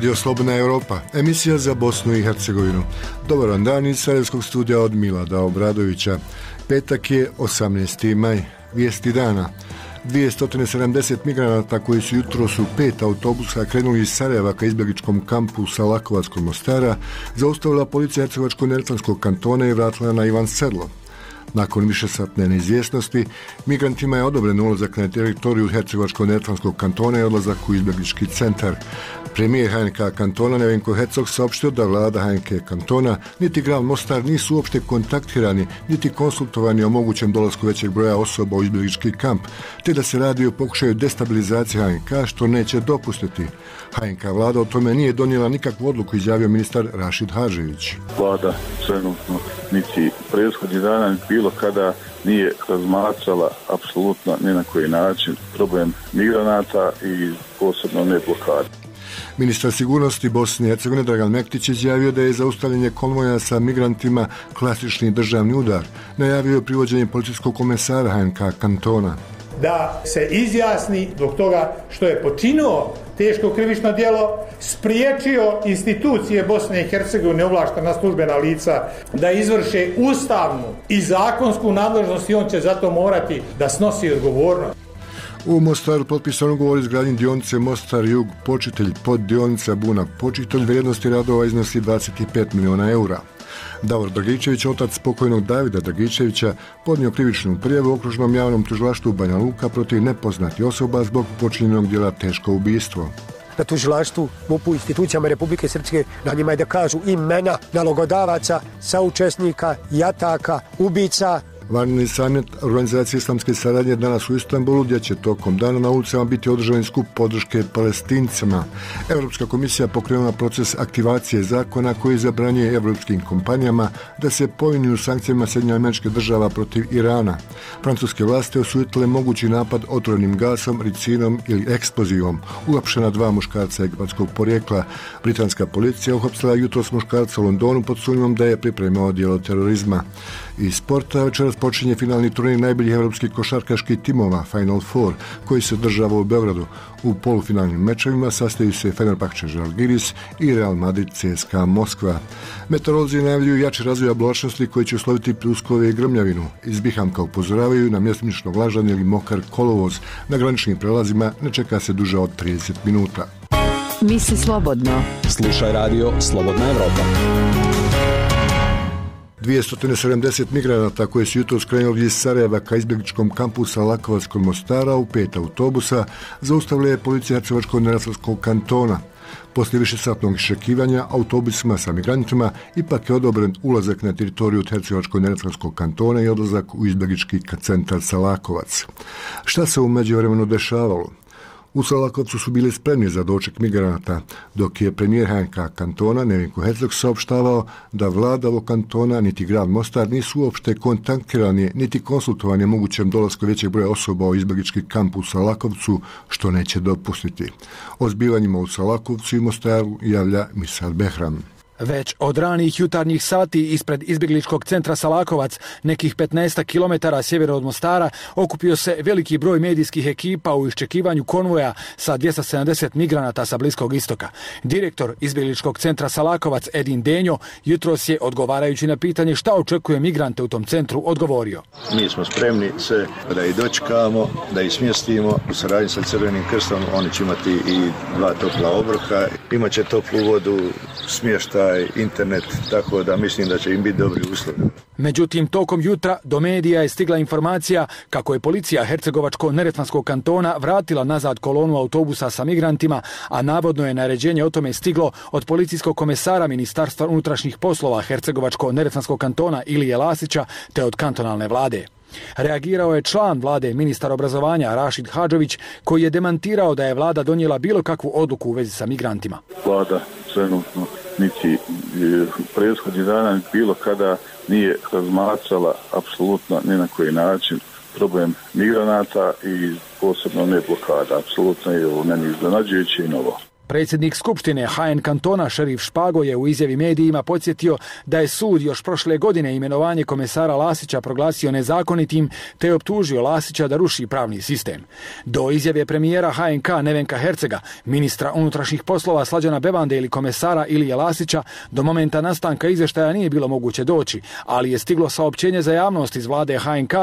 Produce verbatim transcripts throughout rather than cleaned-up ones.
Radio Slobodna Europa, emisija za Bosnu i Hercegovinu. Dobar vam dan iz Sarajevskog studija od Milada Obradovića. Petak je osamnaesti maj, vijesti dana. dvjesto sedamdeset migranata koji su jutros u pet autobusa krenuli iz Sarajeva ka izbjegličkom kampu Salakovac kod Mostara zaustavila policija Hercegovačko-neretvanskog kantona i vratila na Ivan Sedlo. Nakon višesatne neizvjesnosti, migrantima je odobren ulazak na teritoriju Hercegovačko-neretvanskog kantona i odlazak u izbjeglički centar. Premijer H N K kantona Nevenko Hercog saopštio da vlada H N K kantona niti grad Mostar nisu uopšte kontaktirani niti konsultovani o mogućem dolasku većeg broja osoba u izbjeglički kamp, te da se radi o pokušaju destabilizacije H N K što neće dopustiti. H N K vlada o tome nije donijela nikakvu odluku, izjavio ministar Rašid Hadžević. Vlada trenutno niti prethodnih dana bilo kada nije razmatrala apsolutno ni na koji način problem migranata i posebno ne blokade. Ministar sigurnosti Bosne i Hercegovine Dragan Mektić izjavio da je zaustavljanje konvoja sa migrantima klasični državni udar. Najavio je privođenje policijskog komesara H N K kantona. Da se izjasni zbog toga što je počinio teško krivično djelo, spriječio institucije Bosne i Hercegovine, ovlaštena službena lica, da izvrše ustavnu i zakonsku nadležnost i on će zato morati da snosi odgovornost. U Mostaru potpisan ugovor izgradnje dionice Mostar Jug Počitelj pod dionica Buna Počitelj, vrijednosti radova iznosi dvadeset pet miliona eura. Davor Dragičević, otac pokojnog Davida Dragičevića, podnio krivičnu prijavu u okružnom javnom tužilaštvu Banja Luka protiv nepoznatih osoba zbog počinjenog djela teško ubistvo. Na tužilaštvu, M U P-u, institucijama Republike Srpske, na njima je da kažu imena nalogodavaca, saučesnika, jataka, ubica. Vanredni samit Organizacije islamske saradnje danas u Istanbulu, gdje će tokom dana na ulicama biti održan skup podrške Palestincima. Europska komisija pokrenula proces aktivacije zakona koji zabranjuje evropskim kompanijama da se povinuju sankcijama Sjedinjenih Američkih Država protiv Irana. Francuske vlasti osudile mogući napad otrovnim gasom, ricinom ili eksplozivom. Uhapšena dva muškarca egipatskog porijekla. Britanska policija uhapsila jutros muškarca u Londonu pod sumnjom da je pripremao djelo terorizma. Iz sporta večeras počinje finalni turnir najboljih evropskih košarkaških timova Final Four, koji se održava u Beogradu. U polufinalnim mečevima sastaju se Fenerbahče Žalgiris i Real Madrid C S K A Moskva. Meteorolozi najavljuju jači razvoj oblačnosti koji će usloviti pljuskove i grmljavinu. Iz Bihamka upozoravaju na mjestimično vlažan ili mokar kolovoz. Na graničnim prelazima ne čeka se duže od trideset minuta. Misli slobodno. Slušaj radio Slobodna Evropa. dvjesto sedamdeset migranata koji su jutros krenuli iz Sarajeva ka izbjegličkom kampu Salakovac kod Mostara u pet autobusa zaustavila je policija Hercegovačko-neretvanskog kantona. Poslije višesatnog iščekivanja autobusima sa migrantima ipak je odobren ulazak na teritoriju Hercegovačko-neretvanskog kantona i odlazak u izbjeglički centar Salakovac. Šta se u međuvremenu dešavalo? U Salakovcu su bili spremni za doček migranata, dok je premijer H N K kantona Nevenko Hercog saopštavao da vlada ovog kantona niti grad Mostar nisu uopšte kontaktirani niti konsultovani mogućem dolasku većeg broja osoba u izbjeglički kamp u Salakovcu, što neće dopustiti. O zbivanjima u Salakovcu i Mostaru javlja Misal Behram. Već od ranih jutarnjih sati ispred izbjegličkog centra Salakovac, nekih petnaest kilometara sjevera od Mostara, okupio se veliki broj medijskih ekipa u iščekivanju konvoja sa dvjesto sedamdeset migranata sa Bliskog istoka. Direktor izbjegličkog centra Salakovac Edin Denjo jutros je, odgovarajući na pitanje šta očekuje migrante u tom centru, odgovorio. Mi smo spremni sve da ih dočekamo, da ih smjestimo u saradnji sa Crvenim krstom. Oni će imati i dva topla obroka, imaće toplu vodu, smještaj, internet, tako da mislim da će im biti dobri uslovi. Međutim, tokom jutra do medija je stigla informacija kako je policija Hercegovačko-neretvanskog kantona vratila nazad kolonu autobusa sa migrantima, a navodno je naređenje o tome stiglo od policijskog komesara Ministarstva unutrašnjih poslova Hercegovačko-neretvanskog kantona Ilije Lasića te od kantonalne vlade. Reagirao je član vlade, ministar obrazovanja Rašid Hadžević, koji je demantirao da je vlada donijela bilo kakvu odluku u vezi sa migrantima. Vlada trenutno niti prethodnih dana bilo kada nije razmatrala apsolutno ni na koji način problem migranata i posebno ne blokada. Apsolutno je ovo meni iznenađujuće i novo. Predsjednik Skupštine H N kantona Šerif Špago je u izjavi medijima podsjetio da je sud još prošle godine imenovanje komesara Lasića proglasio nezakonitim te je optužio Lasića da ruši pravni sistem. Do izjave premijera H N K Nevenka Hercega, ministra unutrašnjih poslova Slađana Bebande ili komesara Ilije Lasića do momenta nastanka izvještaja nije bilo moguće doći, ali je stiglo saopćenje za javnost iz vlade H N K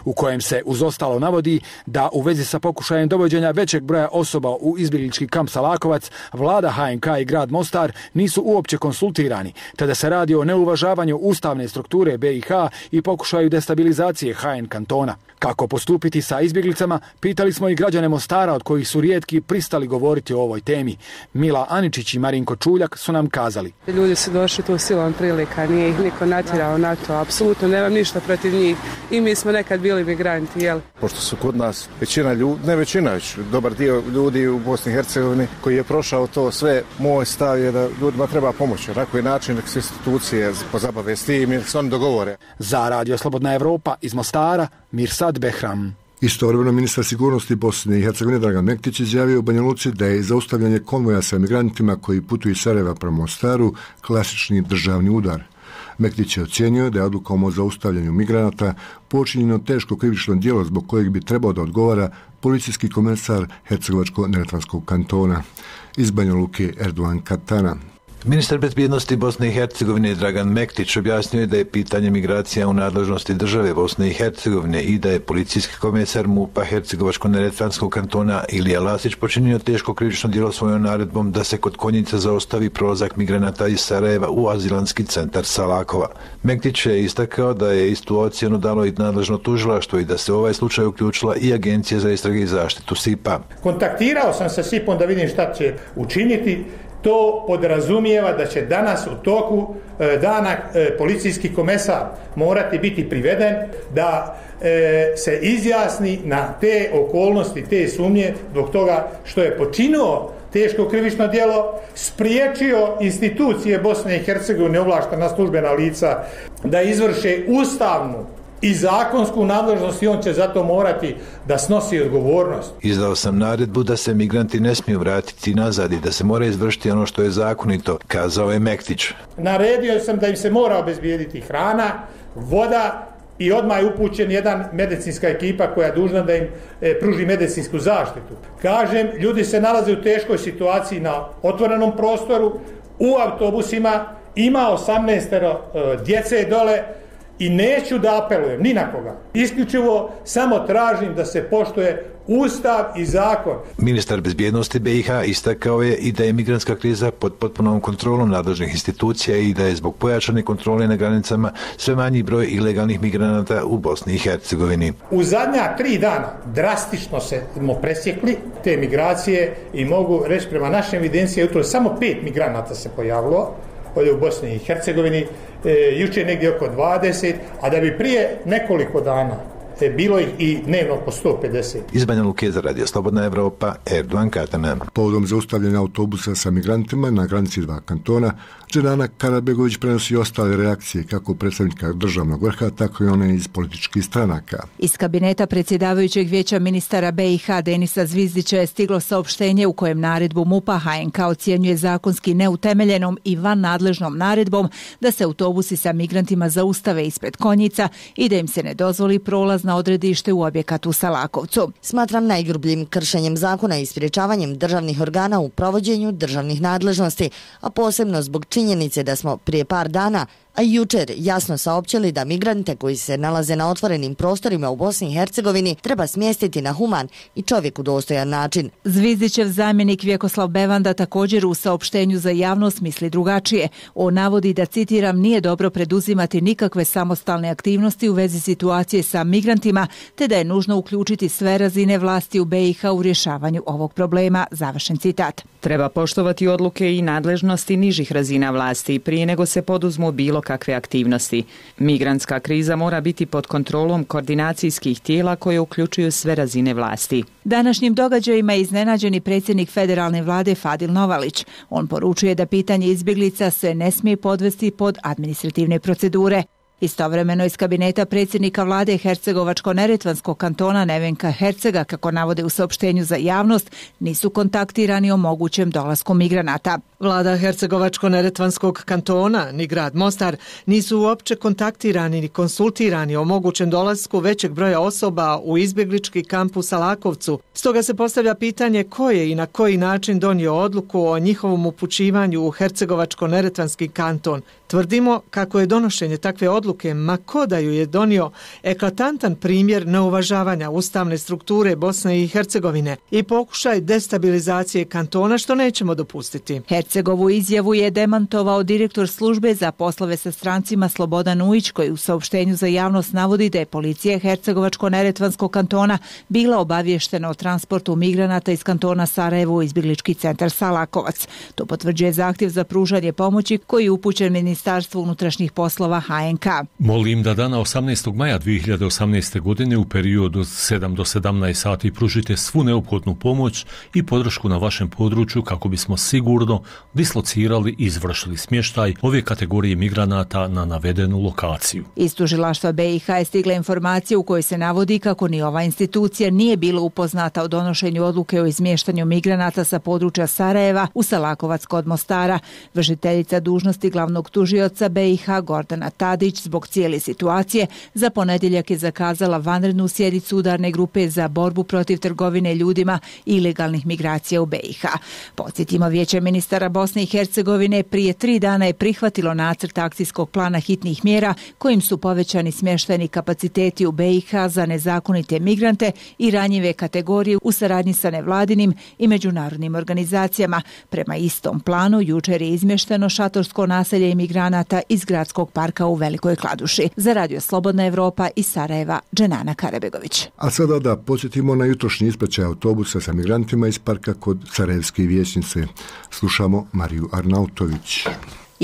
u kojem se uz ostalo navodi da u vezi sa pokušajem dovođenja većeg broja osoba u izbjeglički kamp Salakovac, vlada H N K i grad Mostar nisu uopće konsultirani, te da se radi o neuvažavanju ustavne strukture B i H i pokušaju destabilizacije H N kantona. Kako postupiti sa izbjeglicama, pitali smo i građane Mostara od kojih su rijetki pristali govoriti o ovoj temi. Mila Aničić i Marinko Čuljak su nam kazali. Ljudi su došli tu silom prilika, nije ih niko natjerao na to, apsolutno nemam ništa protiv njih i mi smo nekad bili migranti, jel? Pošto su kod nas većina ljudi, ne većina, već dobar dio ljudi u Bosni i Hercegovini koji je prošao to sve, moj stav je da ljudima treba pomoći. Na koji način da se institucije pozabave s tim jer se oni dogovore. Za Radio Slobodna Evropa iz Mostara, Mirsad Behram. Istovremeno ministar sigurnosti Bosne i Hercegovine Dragan Mektić izjavio u Banja Luci da je zaustavljanje konvoja sa migrantima koji putuju iz Sarajeva prema Mostaru klasični državni udar. Mektić je ocijenio da je odlukom o zaustavljanju migranata počinjeno teško krivično djelo zbog kojeg bi trebao da odgovara policijski komesar Hercegovačko-neretvanskog kantona. Iz Banja Luke Erdogan Katana. Ministar bezbjednosti Bosne i Hercegovine Dragan Mektić objasnio je da je pitanje migracija u nadležnosti države Bosne i Hercegovine i da je policijski komesar MUP-a Hercegovačko-neretvanskog kantona Ilija Lasić počinio teško krivično djelo svojom naredbom da se kod Konjica zaostavi prolazak migranata iz Sarajeva u azilanski centar Salakova. Mektić je istakao da je istu ocjenu dalo i nadležno tužilaštvo i da se u ovaj slučaj uključila i Agencija za istrage i zaštitu S I P-a. Kontaktirao sam sa S I P-om da vidim šta će učiniti. To podrazumijeva da će danas u toku e, dana e, policijski komesar morati biti priveden da e, se izjasni na te okolnosti, te sumnje zbog toga što je počinio teško krivično djelo, spriječio institucije Bosne i Hercegovine, ovlaštena službena lica da izvrše ustavnu i zakonsku nadležnost i on će zato morati da snosi odgovornost. Izdao sam naredbu da se migranti ne smiju vratiti nazad i da se mora izvršiti ono što je zakonito, kazao je Mektić. Naredio sam da im se mora obezbijediti hrana, voda i odmah je upućen jedan medicinska ekipa koja je dužna da im e, pruži medicinsku zaštitu. Kažem, ljudi se nalaze u teškoj situaciji na otvorenom prostoru, u autobusima, ima osamnaest e, djece dole, i neću da apelujem ni na koga. Isključivo samo tražim da se poštuje Ustav i zakon. Ministar bezbjednosti B i H istakao je i da je migrantska kriza pod potpunom kontrolom nadležnih institucija i da je zbog pojačane kontrole na granicama sve manji broj ilegalnih migranata u Bosni i Hercegovini. U zadnja tri dana drastično smo presjekli te migracije i mogu reći prema našoj evidenciji jutro samo pet migranata se pojavilo ovdje u Bosni i Hercegovini, e, jučer negdje oko dvadeset, a da bi prije nekoliko dana e, bilo ih i dnevno po sto pedeset. Iz Banja Luke za Radio Slobodna Evropa, Erdogan Katana. Povodom zaustavljanja autobusa sa migrantima na granici dva kantona, Dženana Karabegović prenosi ostale reakcije kako predstavnika državnog vrha, tako i one iz političkih stranaka. Iz kabineta predsjedavajućeg vijeća ministara B i H Denisa Zvizdića je stiglo saopštenje u kojem naredbu MUP-a H N K ocjenjuje zakonski neutemeljenom i van nadležnom naredbom da se autobusi sa migrantima zaustave ispred Konjica i da im se ne dozvoli prolaz na odredište u objekat u Salakovcu. Smatram najgrubljim kršenjem zakona i sprječavanjem državnih organa u provođenju državnih nadležnosti, a posebno zbog činjenice da smo prije par dana, a i jučer jasno saopćili da migrante koji se nalaze na otvorenim prostorima u Bosni i Hercegovini treba smjestiti na human i čovjeku dostojan način. Zvizdićev zamjenik Vjekoslav Bevanda također u saopštenju za javnost misli drugačije. On navodi da, citiram, nije dobro preduzimati nikakve samostalne aktivnosti u vezi situacije sa migrantima, te da je nužno uključiti sve razine vlasti u B i H u rješavanju ovog problema. Završen citat. Treba poštovati odluke i nadležnosti nižih razina vlasti prije nego se poduzmu bilo kakve aktivnosti. Migrantska kriza mora biti pod kontrolom koordinacijskih tijela koje uključuju sve razine vlasti. Današnjim događajima je iznenađeni predsjednik federalne vlade Fadil Novalić. On poručuje da pitanje izbjeglica se ne smije podvesti pod administrativne procedure. Istovremeno iz kabineta predsjednika vlade Hercegovačko-neretvanskog kantona Nevenka Hercega, kako navode u saopštenju za javnost, nisu kontaktirani o mogućem dolasku migranata. Vlada Hercegovačko-neretvanskog kantona ni grad Mostar nisu uopće kontaktirani ni konsultirani o mogućem dolasku većeg broja osoba u izbjeglički kamp u Salakovcu. Stoga se postavlja pitanje ko je i na koji način donio odluku o njihovom upućivanju u Hercegovačko-neretvanski kanton. Tvrdimo kako je donošenje takve odluke, ma ko da ju je donio, eklatantan primjer neuvažavanja ustavne strukture Bosne i Hercegovine i pokušaj destabilizacije kantona, što nećemo dopustiti. Hercegovu izjavu je demantovao direktor službe za poslove sa strancima Slobodan Ujić, koji u saopštenju za javnost navodi da je policija Hercegovačko-neretvanskog kantona bila obavještena o transportu migranata iz kantona Sarajevo u izbjeglički centar Salakovac. To potvrđuje zahtjev za pružanje pomoći koji je upućen Ministarstvu unutrašnjih poslova H N K. Molim da dana osamnaestog maja dvije hiljade osamnaeste. godine u periodu od sedam do sedamnaest sati pružite svu neophodnu pomoć i podršku na vašem području kako bismo sigurno dislocirali i izvršili smještaj ove kategorije migranata na navedenu lokaciju. Iz tužilaštva B i H je stigla informacija u kojoj se navodi kako ni ova institucija nije bila upoznata o donošenju odluke o izmještanju migranata sa područja Sarajeva u Salakovac kod Mostara. Vršiteljica dužnosti glavnog tužioca B i H Gordana Tadić zbog cijele situacije za ponedjeljak je zakazala vanrednu sjednicu udarne grupe za borbu protiv trgovine ljudima i ilegalnih migracija u B i H. Podsjetimo, Vijeće ministara Bosne i Hercegovine prije tri dana je prihvatilo nacrt akcijskog plana hitnih mjera kojim su povećani smještajni kapaciteti u B i H za nezakonite migrante i ranjive kategorije u saradnji sa nevladinim i međunarodnim organizacijama. Prema istom planu jučer je izmješteno šatorsko naselje imigranata iz gradskog parka u Velikoj Kladuši. Za Radio Slobodna Evropa iz Sarajeva, Dženana Karabegović. A sada da podsjetimo na jutrošnji ispraćaj autobusa sa migrantima iz parka kod Sarajevske vijećnice. Slušamo Mariju Arnautović.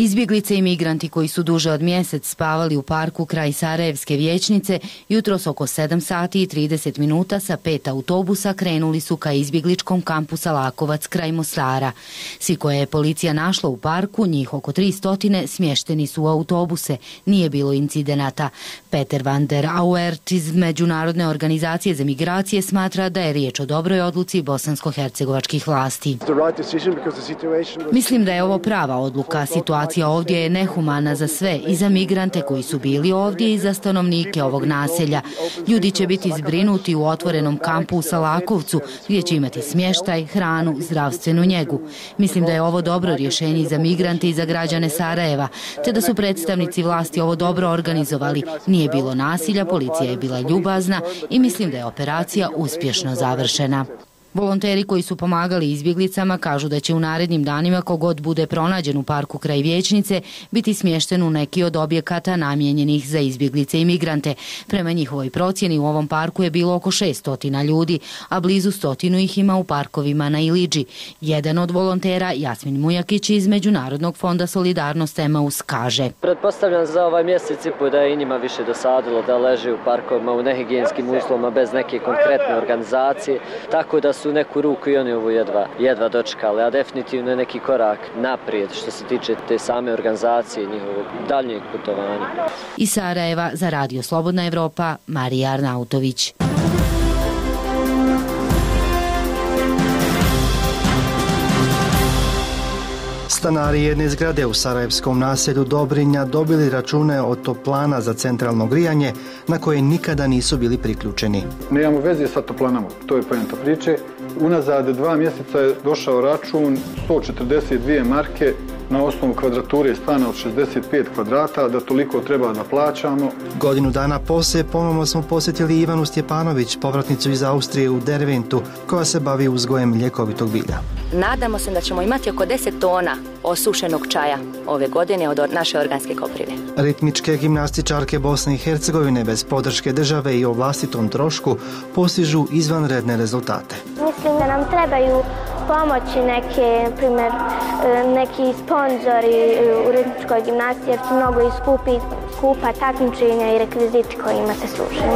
Izbjeglice i migranti koji su duže od mjesec spavali u parku kraj Sarajevske vijećnice jutros oko sedam sati i trideset minuta sa pet autobusa krenuli su ka izbjegličkom kampu Salakovac kraj Mostara. Svi koje je policija našla u parku, njih oko tristo, smješteni su u autobuse. Nije bilo incidenata. Peter van der Auert iz Međunarodne organizacije za migracije smatra da je riječ o dobroj odluci bosansko-hercegovačkih vlasti. Mislim da je ovo prava odluka. Situacija ovdje je nehumana za sve, i za migrante koji su bili ovdje i za stanovnike ovog naselja. Ljudi će biti zbrinuti u otvorenom kampu u Salakovcu gdje će imati smještaj, hranu, zdravstvenu njegu. Mislim da je ovo dobro rješenje za migrante i za građane Sarajeva, te da su predstavnici vlasti ovo dobro organizovali. Nije bilo nasilja, policija je bila ljubazna i mislim da je operacija uspješno završena. Volonteri koji su pomagali izbjeglicama kažu da će u narednim danima kogod bude pronađen u parku kraj vijećnice biti smješten u neki od objekata namijenjenih za izbjeglice i migrante. Prema njihovoj procjeni u ovom parku je bilo oko šessto ljudi, a blizu stotinu ih ima u parkovima na Ilidži. Jedan od volontera, Jasmin Mujakić iz Međunarodnog fonda Solidarnost Emaus, kaže: Pretpostavljam za ovaj mjesec i po da je i njima više dosadilo da leže u parkovima u nehigijenskim uslovima bez neke konkretne organizacije, tako da su neku ruku i oni ovo jedva, jedva dočekali, a definitivno je neki korak naprijed što se tiče te same organizacije i njihovog daljnjeg putovanja. Iz Sarajeva za Radio Slobodna Evropa, Marija Arnautović. Stanari jedne zgrade u sarajevskom naselju Dobrinja dobili račune od toplana za centralno grijanje na koje nikada nisu bili priključeni. Nemamo veze sa toplanama, to je poenta priče. Unazad dva mjeseca je došao račun sto četrdeset dvije marke na osnovu kvadrature stana od šezdeset pet kvadrata, da toliko treba da plaćamo. Godinu dana poslije ponovno smo posjetili Ivanu Stjepanović, povratnicu iz Austrije u Derventu, koja se bavi uzgojem ljekovitog bilja. Nadamo se da ćemo imati oko deset tona osušenog čaja ove godine od naše organske koprive. Ritmičke gimnastičarke Bosne i Hercegovine bez podrške države i o vlastitom trošku postižu izvanredne rezultate. Mislim da nam trebaju pomoći neke, primjer, neki sponzori u ritmičkoj gimnastiji, jer su mnogo i skupi, skupa takmičenja i rekviziti kojima se slušaju.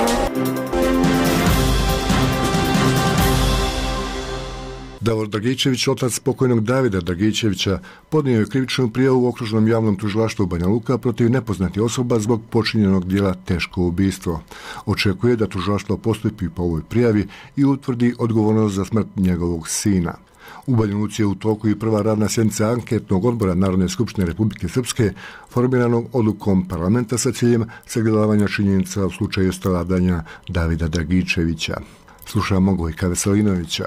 Davor Dragičević, otac pokojnog Davida Dragičevića, podnio je krivičnu prijavu u okružnom javnom tužilaštvu Banja Luka protiv nepoznatih osoba zbog počinjenog dijela teško ubistvo. Očekuje da tužilaštvo postupi po ovoj prijavi i utvrdi odgovornost za smrt njegovog sina. U Banja Luci je u toku i prva radna sjednica anketnog odbora Narodne skupštine Republike Srpske, formiranog odlukom parlamenta sa ciljem sagledavanja činjenica u slučaju stradanja Davida Dragičevića. Slušamo Gojka Veselinovića.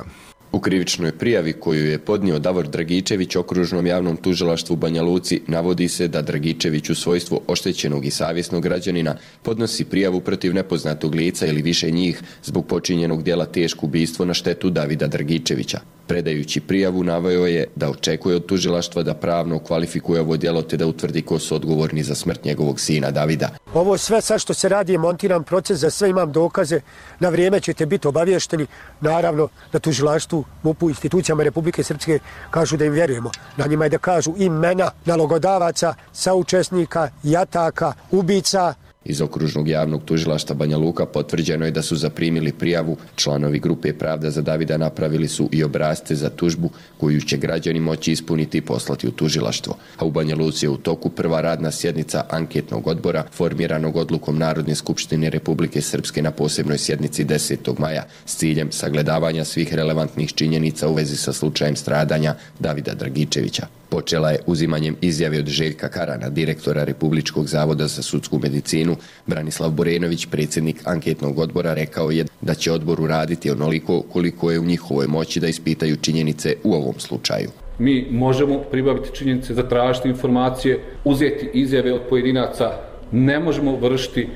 U krivičnoj prijavi koju je podnio Davor Dragičević okružnom javnom tužilaštvu u Banja Luci navodi se da Dragičević u svojstvu oštećenog i savjesnog građanina podnosi prijavu protiv nepoznatog lica ili više njih zbog počinjenog djela teško ubistvo na štetu Davida Dragičevića. Predajući prijavu naveo je da očekuje od tužilaštva da pravno kvalifikuje ovo djelo te da utvrdi ko su odgovorni za smrt njegovog sina Davida. Ovo sve sad što se radi je montiran proces, za sve imam dokaze, na vrijeme ćete biti obavješteni, naravno na tužilaštvu, M U P-u, institucijama Republike Srpske kažu da im vjerujemo. Na njima je da kažu imena nalogodavaca, saučesnika, jataka, ubica. Iz okružnog javnog tužilaštva Banja Luka potvrđeno je da su zaprimili prijavu. Članovi grupe Pravda za Davida napravili su i obrasce za tužbu koju će građani moći ispuniti i poslati u tužilaštvo. A u Banja Luci je u toku prva radna sjednica anketnog odbora formiranog odlukom Narodne skupštine Republike Srpske na posebnoj sjednici desetog maja s ciljem sagledavanja svih relevantnih činjenica u vezi sa slučajem stradanja Davida Dragičevića. Počela je uzimanjem izjave od Željka Karana, direktora Republičkog zavoda za sudsku medicinu. Branislav Borenović, predsjednik anketnog odbora, rekao je da će odbor uraditi onoliko koliko je u njihovoj moći da ispitaju činjenice u ovom slučaju. Mi možemo pribaviti činjenice, zatražiti informacije, uzeti izjave od pojedinaca, ne možemo vršiti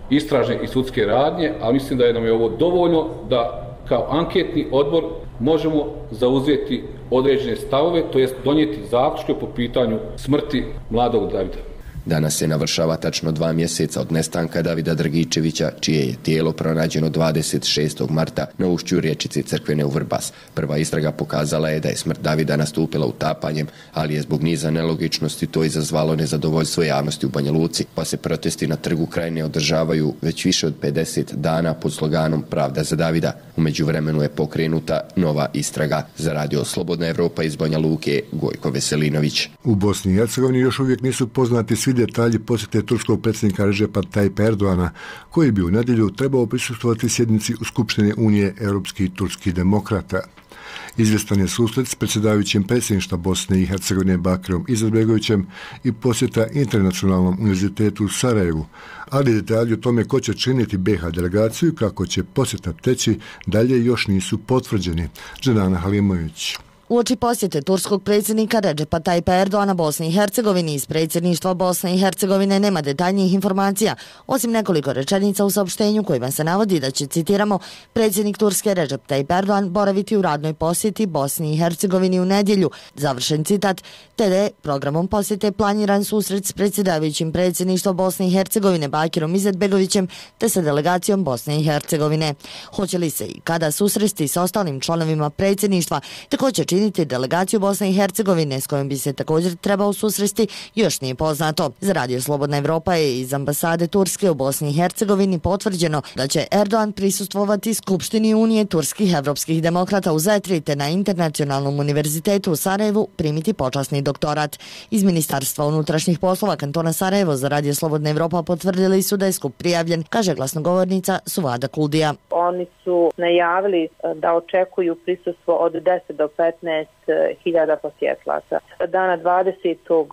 istražne i sudske radnje, ali mislim da je nam je ovo dovoljno da kao anketni odbor možemo zauzeti određene stavove, to jest donijeti zaključke po pitanju smrti mladog Davida. Danas se navršava tačno dva mjeseca od nestanka Davida Dragičevića, čije je tijelo pronađeno dvadeset šestog marta na ušću riječice Crkvene u Vrbas. Prva istraga pokazala je da je smrt Davida nastupila utapanjem, ali je zbog niza nelogičnosti to izazvalo nezadovoljstvo javnosti u Banja Luci, pa se protesti na Trgu Krajine održavaju već više od pedeset dana pod sloganom Pravda za Davida. U međuvremenu je pokrenuta nova istraga. Za Radio Slobodna Evropa iz Banja Luke, Gojko Veselinović. U Bosni i Hercegovini još uvijek nisu poznati svi detalji posjete turskog predsjednika Redžepa Tajpa Erdoana, koji bi u nedjelju trebao prisustvovati sjednici u Skupštini Unije europskih i turskih demokrata. Izvjestan je susret s predsjedavajućim predsjedništva Bosne i Hercegovine Bakirom Izetbegovićem i posjeta Internacionalnom univerzitetu u Sarajevu, ali detalji o tome ko će činiti B iH delegaciju i kako će posjeta teći dalje još nisu potvrđeni. Džedana Halimović. Uoči posjete turskog predsjednika Redžepa Tajpa Erdoana Bosni i Hercegovini iz predsjedništva Bosne i Hercegovine nema detaljnijih informacija, osim nekoliko rečenica u saopštenju kojima se navodi da će, citiramo, predsjednik Turske Redžep Tajip Erdoan boraviti u radnoj posjeti Bosni i Hercegovini u nedjelju, završen citat, te da je programom posjete planiran susret s predsjedavajućim predsjedništva Bosne i Hercegovine Bakirom Izetbegovićem te sa delegacijom Bosne i Hercegovine. Hoće li se i kada susresti sa ostalim članovima predsjedništva, te ko će činiti delegaciju Bosne i Hercegovine s kojom bi se također trebao susresti, još nije poznato. Za Radio Slobodna Evropa je iz ambasade Turske u Bosni i Hercegovini potvrđeno da će Erdoan prisustvovati Skupštini Unije turskih evropskih demokrata u Zetri te na Internacionalnom univerzitetu u Sarajevu primiti počasni doktorat. Iz Ministarstva unutrašnjih poslova kantona Sarajevo za Radio Slobodna Evropa potvrdili su da je skup prijavljen, kaže glasnogovornica Suvada Kuldija. Oni su najavili da očekuju prisustvo od deset do petnaest hiljada posjetlaca. Dana dvadesetog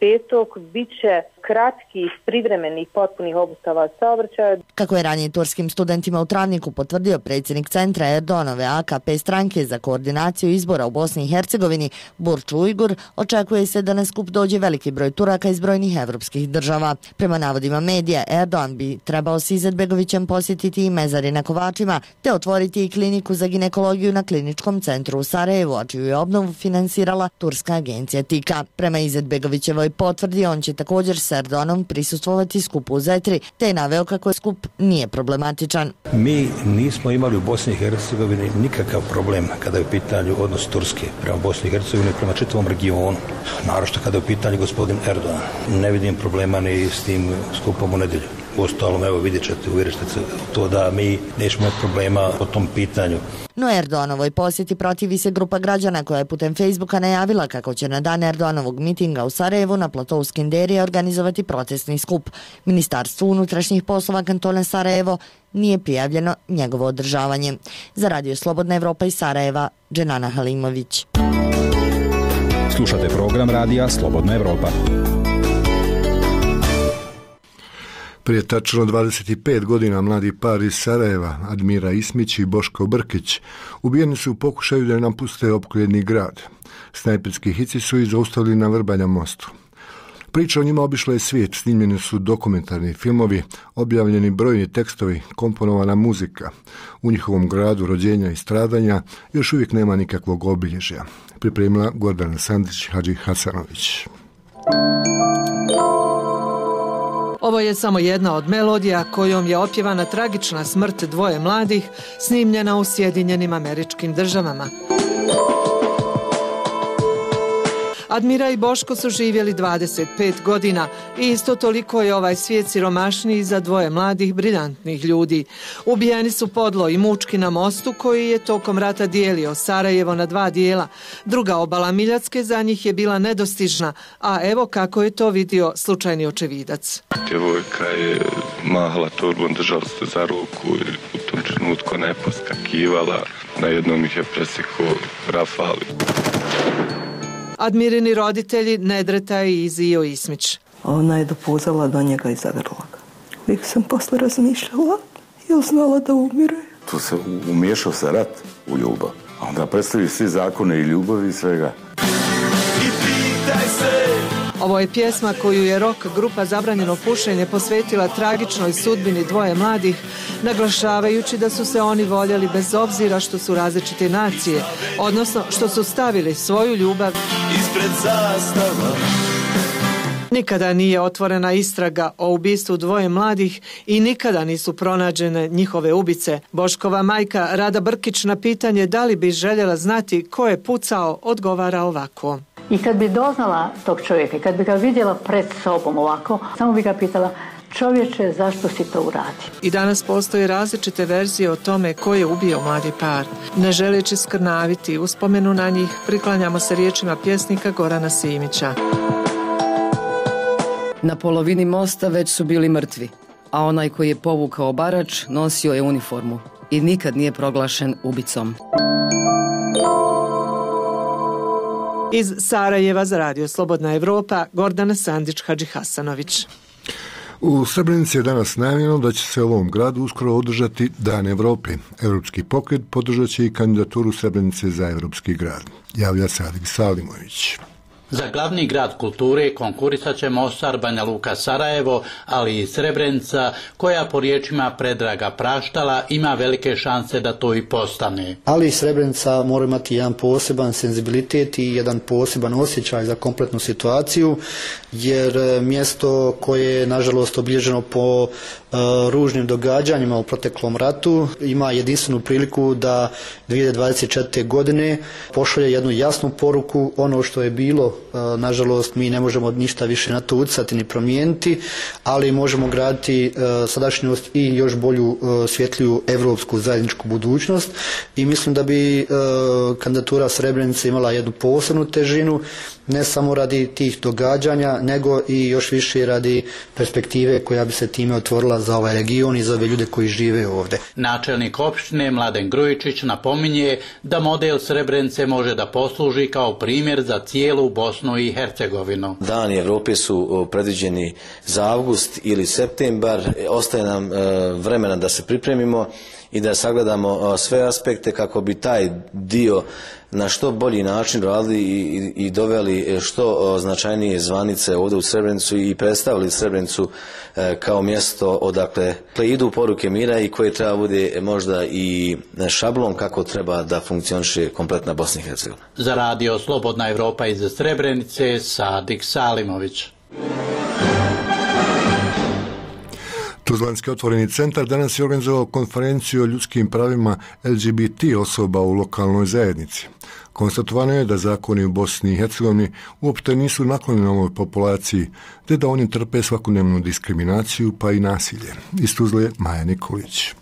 petog biće kratkih, privremenih, potpunih obustava saobraćaja. Kako je ranije turskim studentima u Travniku potvrdio predsjednik centra Erdoganove A K P stranke za koordinaciju izbora u Bosni i Hercegovini Burču Ujgur, očekuje se da na skup dođe veliki broj Turaka iz brojnih evropskih država. Prema navodima medija, Erdogan bi trebao s Izetbegovićem posjetiti i mezari na Kovačima, te otvoriti i kliniku za ginekologiju na kliničkom centru u Sarajevu, a čiju je obnovu finansirala turska agencija Tika. Prema Izetbegovićevoj potvrdi, on će također s Erdoganom prisustvovati skupu u Zetri, te je naveo kako je skup nije problematičan. Mi nismo imali u Bosni i Hercegovini nikakav problem kada je u pitanju odnos Turske prema Bosni i Hercegovini, prema čitavom regionu, naročito kada je u pitanju gospodin Erdogan. Ne vidim problema ni s tim skupom u nedjelju. Uostalom, evo vidjet ćete, uvjerit ćete se to da mi nećemo imati problema po tom pitanju. No Erdoganovoj posjeti protivi se grupa građana koja je putem Facebooka najavila kako će na dan Erdoganovog mitinga u Sarajevu na platou Skenderije organizovati protestni skup. Ministarstvu unutrašnjih poslova kantona Sarajevo nije prijavljeno njegovo održavanje. Za Radio Slobodna Evropa iz Sarajeva, Dženana Halimović. Slušate program Radija Slobodna Evropa. Prije tačno dvadeset pet godina mladi par iz Sarajeva, Admira Ismić i Boško Brkić, ubijeni su u pokušaju da napuste opkoljeni grad. Snajperski hici su ih zaustavili na Vrbanja mostu. Priča o njima obišla je svijet, snimljeni su dokumentarni filmovi, objavljeni brojni tekstovi, komponovana muzika. U njihovom gradu rođenja i stradanja još uvijek nema nikakvog obilježja. Pripremila Gordana Sandić Hadži Hasanović. Ovo je samo jedna od melodija kojom je opjevana tragična smrt dvoje mladih, snimljena u Sjedinjenim Američkim Državama. Admira i Boško su živjeli dvadeset pet godina i isto toliko je ovaj svijet siromašniji za dvoje mladih briljantnih ljudi. Ubijeni su podlo i mučki na mostu koji je tokom rata dijelio Sarajevo na dva dijela. Druga obala Miljacke za njih je bila nedostižna, a evo kako je to vidio slučajni očevidac. Djevojka je mahala torbom, držala se za ruku i u tom trenutku ne poskakivala. Na jednom ih je presekao rafal. Admirini roditelji Nedreta i Izio Ismić. Ona je dopuzala do njega i zagrla ga. Uvijek sam posle razmišljala, jer znala da umire. Tu se umiješao sa rat u ljubav. A onda predstavi svi zakone i ljubavi i svega. I pitaj se! Ovo je pjesma koju je rock grupa Zabranjeno pušenje posvetila tragičnoj sudbini dvoje mladih, naglašavajući da su se oni voljeli bez obzira što su različite nacije, odnosno što su stavili svoju ljubav ispred zastava. Nikada nije otvorena istraga o ubistvu dvoje mladih i nikada nisu pronađene njihove ubice. Boškova majka Rada Brkić na pitanje da li bi željela znati ko je pucao odgovara ovako. I kad bi doznala tog čovjeka, kad bi ga vidjela pred sobom ovako, samo bi ga pitala: čovječe, zašto si to uradio? I danas postoje različite verzije o tome ko je ubio mladi par. Ne želeći skrnaviti uspomenu na njih, priklanjamo se riječima pjesnika Gorana Simića. Na polovini mosta već su bili mrtvi, a onaj koji je povukao barač nosio je uniformu i nikad nije proglašen ubicom. Iz Sarajeva za Radio Slobodna Evropa, Gordana Sandić Hadži Hasanović. U Srebrenici je danas najavljeno da će se u ovom gradu uskoro održati Dan Evrope. Evropski pokret podržat će i kandidaturu Srebrenice za Evropski grad. Javlja se Adik Salimović. Za glavni grad kulture konkurisat će Mostar, Banja Luka, Sarajevo, ali i Srebrenica, koja po riječima Predraga Praštala ima velike šanse da to i postane. Ali Srebrenica mora imati jedan poseban senzibilitet i jedan poseban osjećaj za kompletnu situaciju, jer mjesto koje je nažalost obilježeno po uh, ružnim događanjima u proteklom ratu ima jedinstvenu priliku da dvije hiljade dvadeset četvrte. godine pošalje jednu jasnu poruku. Ono što je bilo, nažalost, mi ne možemo ništa više na to utjecati ni promijeniti, ali možemo graditi sadašnjost i još bolju, svjetliju evropsku zajedničku budućnost i mislim da bi kandidatura Srebrenice imala jednu posebnu težinu, ne samo radi tih događanja, nego i još više radi perspektive koja bi se time otvorila za ovaj region i za ove ljude koji žive ovdje. Načelnik opštine Mladen Grujičić napominje da model Srebrenice može da posluži kao primjer za cijelu Bosnu i Hercegovinu. Dani Evrope su predviđeni za avgust ili septembar. Ostaje nam vremena da se pripremimo i da sagledamo sve aspekte kako bi taj dio na što bolji način radili i, i doveli što značajnije zvanice ovdje u Srebrenicu i predstavili Srebrenicu kao mjesto odakle idu poruke mira i koje treba bude možda i šablon kako treba da funkcioniše kompletna Bosna i Hercegovina. Za Radio Slobodna Evropa iz Srebrenice, Sadik Salimović. Tuzlanski otvoreni centar danas je organizovao konferenciju o ljudskim pravima L G B T osoba u lokalnoj zajednici. Konstatovano je da zakoni u Bosni i Hercegovini uopšte nisu naklonjeni ovoj populaciji, te da oni trpe svakodnevnu diskriminaciju pa i nasilje. Iz Tuzle Maja Nikolić.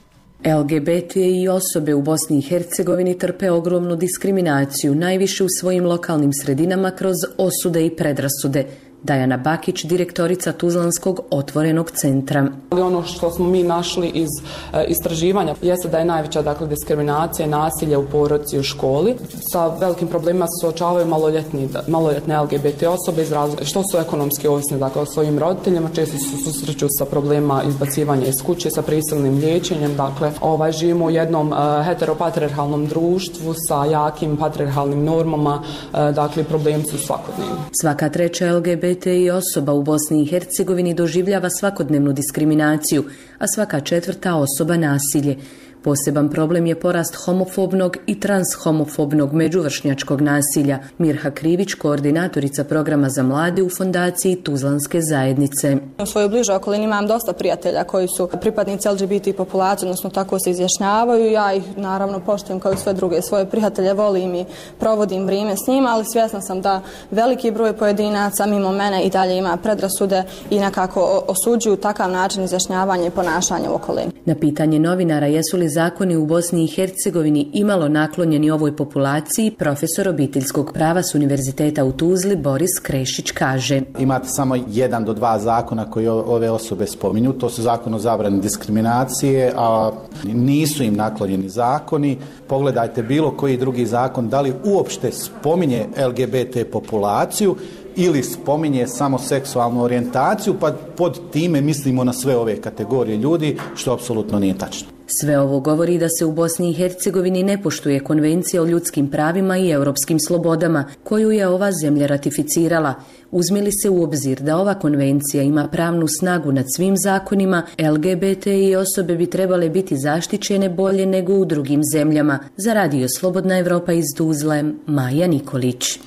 L G B T i osobe u Bosni i Hercegovini trpe ogromnu diskriminaciju, najviše u svojim lokalnim sredinama kroz osude i predrasude. Dajana Bakić, direktorica Tuzlanskog otvorenog centra. Ono što smo mi našli iz e, istraživanja jeste da je najveća dakle, diskriminacija i nasilje u porodici i u školi. Sa velikim problemima se suočavaju maloljetni, maloljetne L G B T osobe iz razloga što su ekonomski ovisni dakle, o svojim roditeljima, često se susreću sa problema izbacivanja iz kuće, sa prisilnim liječenjem. Dakle, ovaj, živimo u jednom e, heteropatriarhalnom društvu sa jakim patriarhalnim normama, e, dakle problemi su svakodnevni. Svaka treća L G B T i osoba u Bosni i Hercegovini doživljava svakodnevnu diskriminaciju, a svaka četvrta osoba nasilje. Poseban problem je porast homofobnog i transhomofobnog međuvršnjačkog nasilja. Mirha Krivić, koordinatorica programa za mlade u fondaciji Tuzlanske zajednice. U svojoj bližoj okolini imam dosta prijatelja koji su pripadnici L G B T populacije, odnosno tako se izjašnjavaju. Ja ih naravno poštujem kao i sve druge svoje prijatelje, volim i provodim vrijeme s njima, ali svjesna sam da veliki broj pojedinaca mimo mene i dalje ima predrasude i nekako osuđuju takav način izjašnjavanja i ponašanja u okolini. Na pitanje novinara jesu li zakoni u Bosni i Hercegovini imalo naklonjeni ovoj populaciji, profesor obiteljskog prava s Univerziteta u Tuzli Boris Krešić kaže. Imate samo jedan do dva zakona koji ove osobe spominju, to su zakon o zabrani diskriminacije, a nisu im naklonjeni zakoni. Pogledajte bilo koji drugi zakon, da li uopšte spominje L G B T populaciju ili spominje samo seksualnu orijentaciju, pa pod time mislimo na sve ove kategorije ljudi, što apsolutno nije tačno. Sve ovo govori da se u Bosni i Hercegovini ne poštuje Konvencija o ljudskim pravima i europskim slobodama, koju je ova zemlja ratificirala. Uzme li se u obzir da ova konvencija ima pravnu snagu nad svim zakonima, L G B T i osobe bi trebale biti zaštićene bolje nego u drugim zemljama. Za Radio Slobodna Evropa iz Tuzle, Maja Nikolić.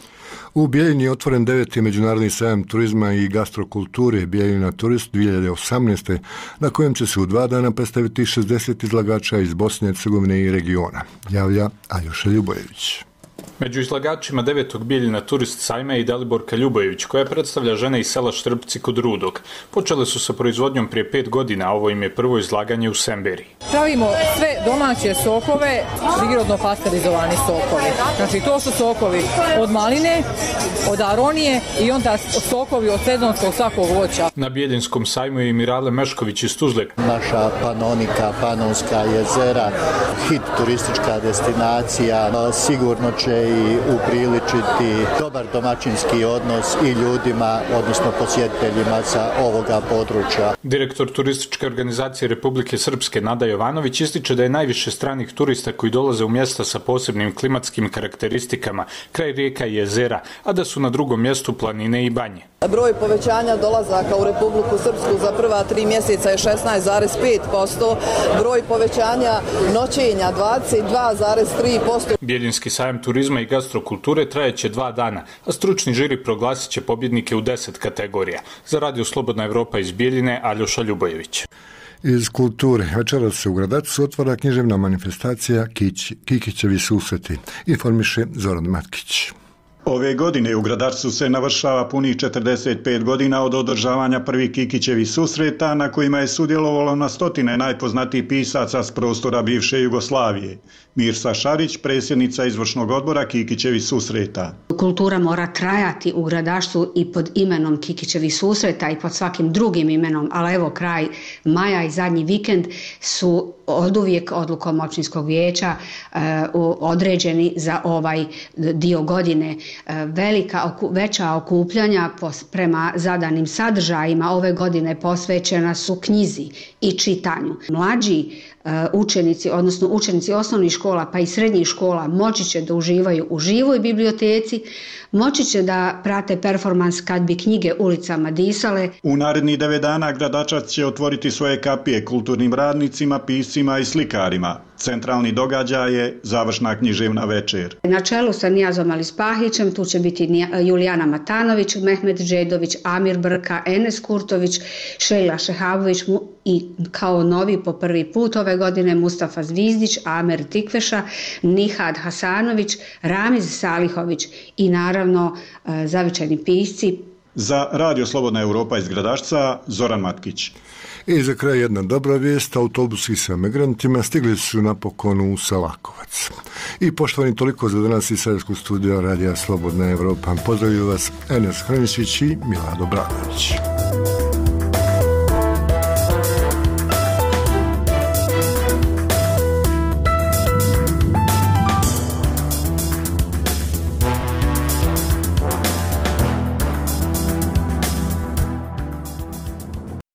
U Bijeljini je otvoren deveti međunarodni sajam turizma i gastrokulture Bijeljina Turist dvije hiljade osamnaeste. na kojem će se u dva dana predstaviti šezdeset izlagača iz Bosne i Hercegovine i regiona. Javlja Aljoša Ljubojević. Među izlagačima devetog Bijeljina Turist sajma je i Daliborka Ljubojević, koja predstavlja žene iz sela Štrpci kod Rudog. Počele su sa proizvodnjom prije pet godina, a ovo im je prvo izlaganje u Semberiji. Pravimo sve domaće sokove, prirodno pasterizovani sokovi. Znači to su sokovi od maline, od aronije i onda sokovi od sezonskog svakog voća. Na Bijeljinskom sajmu je i Mirale Mešković iz Tuzle. Naša Panonika, Panonska jezera, hit turistička destinacija, sigurno će i upriličiti dobar domaćinski odnos i ljudima, odnosno posjetiteljima sa ovoga područja. Direktor turističke organizacije Republike Srpske Nada Jovanović ističe da je najviše stranih turista koji dolaze u mjesta sa posebnim klimatskim karakteristikama, kraj rijeka i jezera, a da su na drugom mjestu planine i banje. Broj povećanja dolazaka u Republiku Srpsku za prva tri mjeseca je šesnaest zarez pet posto, broj povećanja noćenja dvadeset dva zarez tri posto. Bijeljinski sajam turizma i gastrokulture trajeće dva dana, a stručni žiri proglasit će pobjednike u deset kategorija. Za Radio Slobodna Evropa iz Bijeljine, Aljoša Ljubojević. Iz kulture večeras se u Gradačcu otvara književna manifestacija Kikićevi susreti. Informiše Zoran Matkić. Ove godine u Gradačcu se navršava punih četrdeset pet godina od održavanja prvih Kikićevih susreta, na kojima je sudjelovalo na stotine najpoznatijih pisaca s prostora bivše Jugoslavije. Mirsa Šarić, predsjednica izvršnog odbora Kikićevih susreta. Kultura mora trajati u Gradačcu i pod imenom Kikićevih susreta i pod svakim drugim imenom, ali evo kraj maja i zadnji vikend su oduvijek odlukom općinskog vijeća e, određeni za ovaj dio godine. E, velika, veća okupljanja pos, prema zadanim sadržajima ove godine posvećena su knjizi i čitanju. Mlađi učenici, odnosno učenici osnovnih škola pa i srednjih škola moći će da uživaju u živoj biblioteci, moći će da prate performans kad bi knjige ulicama disale. U narednih devet dana Gradačac će otvoriti svoje kapije kulturnim radnicima, piscima i slikarima. Centralni događaj je završna književna večer. Na čelu sa Nijazom Alispahićem tu će biti Julijana Matanović, Mehmet Đedović, Amir Brka, Enes Kurtović, Šejla Šehavović i kao novi po prvi put ove godine Mustafa Zvizdić, Amer Tikveša, Nihad Hasanović, Ramiz Salihović i naravno zavičajni pisci. Za Radio Slobodna Europa iz Gradašca, Zoran Matkić. I za kraj jedna dobra vijest, autobusi sa migrantima stigli su napokon u Salakovac. I poštovani, toliko za danas iz Sarajevskog studija Radija Slobodna Europa. Pozdravljaju vas Enes Hranišić i Milado Bradović.